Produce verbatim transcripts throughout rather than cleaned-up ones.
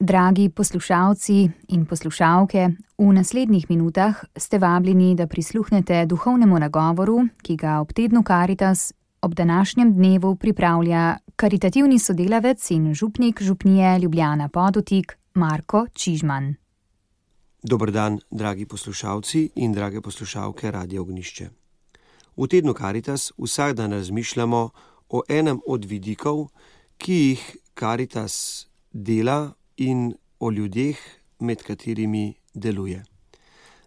Dragi poslušalci in poslušalke, v naslednjih minutah ste vabljeni, da prisluhnete duhovnemu nagovoru, ki ga ob tednu Karitas ob današnjem dnevu pripravlja karitativni sodelavec in župnik župnije Ljubljana Podutik Marko Čižman. Dober dan, dragi poslušalci in drage poslušalke Radia Ognjišče. V tednu Karitas vsak dan razmišljamo o enem od vidikov, ki jih Karitas dela in o ljudeh, med katerimi deluje.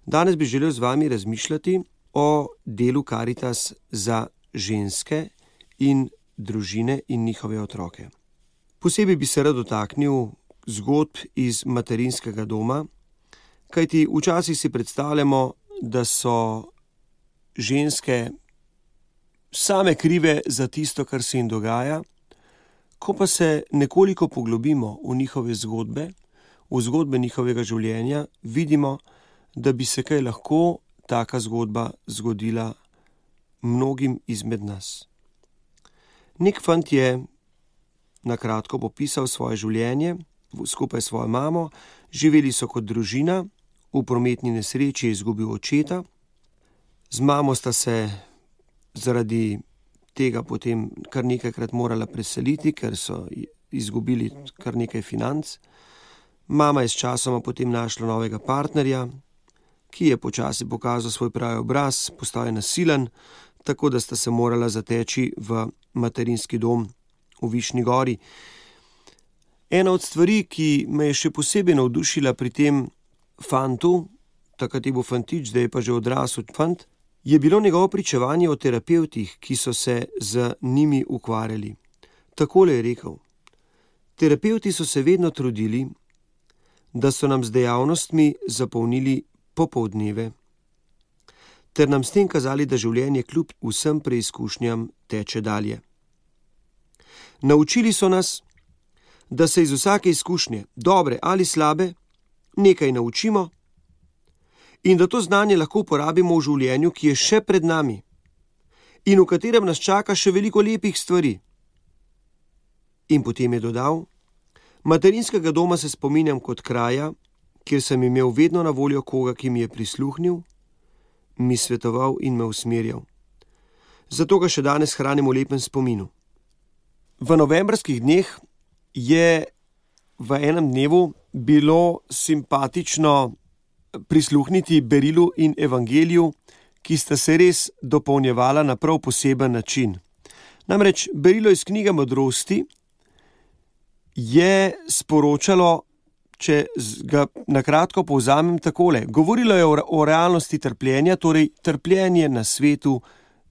Danes bi želel z vami razmišljati o delu Karitas za ženske in družine in njihove otroke. Posebej bi se rad dotaknil zgodb iz materinskega doma, kajti včasih si predstavljamo, da so ženske same krive za tisto, kar se jim dogaja. Ko pa se nekoliko poglobimo v njihove zgodbe, v zgodbe njihovega življenja, vidimo, da bi se kaj lahko taka zgodba zgodila mnogim izmed nas. Nek fant je na kratko popisal svoje življenje skupaj s svojo mamo, živeli so kot družina, v prometni nesreči je izgubil očeta, z mamo sta se zaradi tega potem kar nekajkrat morala preseliti, ker so izgubili kar nekaj financ. Mama je s časoma potem našla novega partnerja, ki je počasi pokazal svoj pravi obraz, postal je nasilen, tako da sta se morala zateči v materinski dom v Višnji Gori. Ena od stvari, ki me je še posebej navdušila pri tem fantu, takrat je bil fantič, zdaj je pa že odrasel fant, je bilo njegovo pričevanje o terapevtih, ki so se z njimi ukvarjali. Takole je rekel: terapevti so se vedno trudili, da so nam z dejavnostmi zapolnili popoldneve, ter nam s tem kazali, da življenje kljub vsem preizkušnjam teče dalje. Naučili so nas, da se iz vsake izkušnje, dobre ali slabe, nekaj naučimo in da to znanje lahko uporabimo v življenju, ki je še pred nami in v katerem nas čaka še veliko lepih stvari. In potem je dodal: materinskega doma se spominjam kot kraja, kjer sem imel vedno na voljo koga, ki mi je prisluhnil, mi svetoval in me usmerjal. Zato ga še danes hranim v lepem spominu. V novembrskih dneh je v enem dnevu bilo simpatično prisluhniti berilu in evangeliju, ki sta se res dopolnjevala na prav poseben način. Namreč berilo iz knjige Modrosti je sporočalo, če ga na kratko povzamem takole. Govorilo je o, o realnosti trpljenja, torej trpljenje na svetu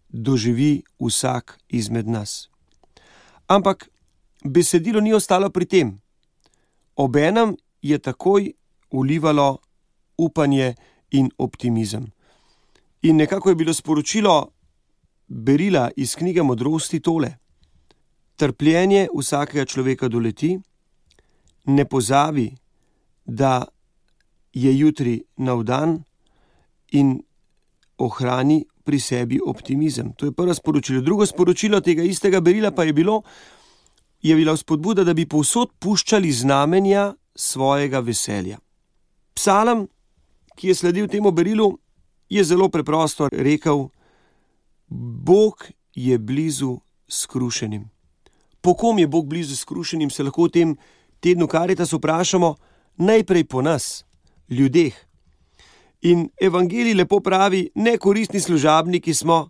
doživi vsak izmed nas. Ampak besedilo ni ostalo pri tem. Obenem je takoj vlivalo upanje in optimizem. In nekako je bilo sporočilo berila iz knjige Modrosti tole: trpljenje vsakega človeka doleti, ne pozabi, da je jutri nov dan, in ohrani pri sebi optimizem. To je prvo sporočilo. Drugo sporočilo tega istega berila pa je bilo, je bila vzpodbuda, da bi povsod puščali znamenja svojega veselja. Psalm, ki je sledil temu berilu, je zelo preprosto rekel: Bog je blizu skrušenim. Po kom je Bog blizu skrušenim, se lahko v tem tednu Karitas vprašamo najprej po nas, ljudeh. In evangelij lepo pravi: nekoristni služabniki smo,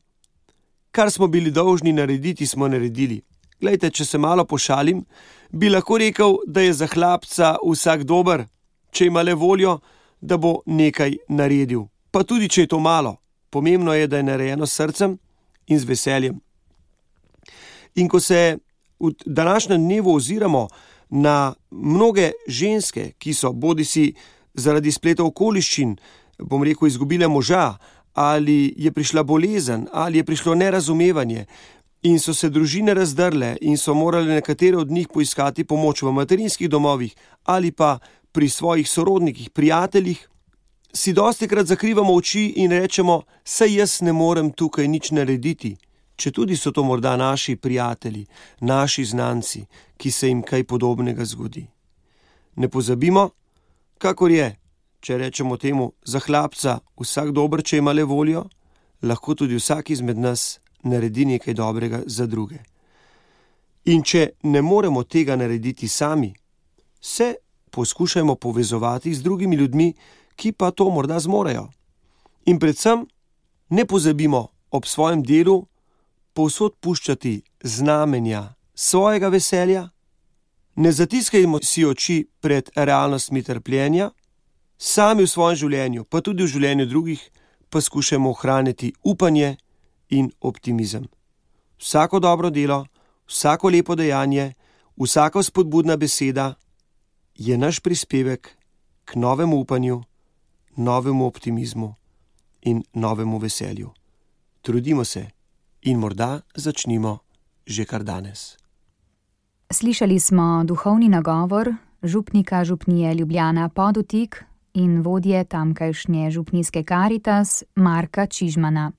kar smo bili dolžni narediti, smo naredili. Glejte, če se malo pošalim, bi lahko rekel, da je za hlapca vsak dober, če ima le voljo, da bo nekaj naredil. Pa tudi, če je to malo, pomembno je, da je narejeno s srcem in z veseljem. In ko se v današnjem dnevu oziramo na mnoge ženske, ki so bodisi zaradi spleta okoliščin, bom rekel, izgubile moža, ali je prišla bolezen, ali je prišlo nerazumevanje, in so se družine razdrle in so morali nekatere od njih poiskati pomoč v materinskih domovih ali pa pri svojih sorodnikih, prijateljih, si dostikrat zakrivamo oči in rečemo: saj jaz ne morem tukaj nič narediti, četudi so to morda naši prijatelji, naši znanci, ki se jim kaj podobnega zgodi. Ne pozabimo, kakor je, če rečemo temu za hlapca, vsak dober, če ima le voljo, lahko tudi vsak izmed nas naredi nekaj dobrega za druge. In če ne moremo tega narediti sami, se poskušajmo povezovati z drugimi ljudmi, ki pa to morda zmorejo. In predvsem ne pozabimo ob svojem delu povsod puščati znamenja svojega veselja, ne zatiskajmo si oči pred realnostmi trpljenja, sami v svojem življenju, pa tudi v življenju drugih, pa skušajmo ohraniti upanje in optimizem. Vsako dobro delo, vsako lepo dejanje, vsaka spodbudna beseda je naš prispevek k novemu upanju, novemu optimizmu in novemu veselju. Trudimo se in morda začnimo že kar danes. Slišali smo duhovni nagovor župnika župnije Ljubljana Podutik in vodje tamkajšnje župnijske Karitas Marka Čižmana.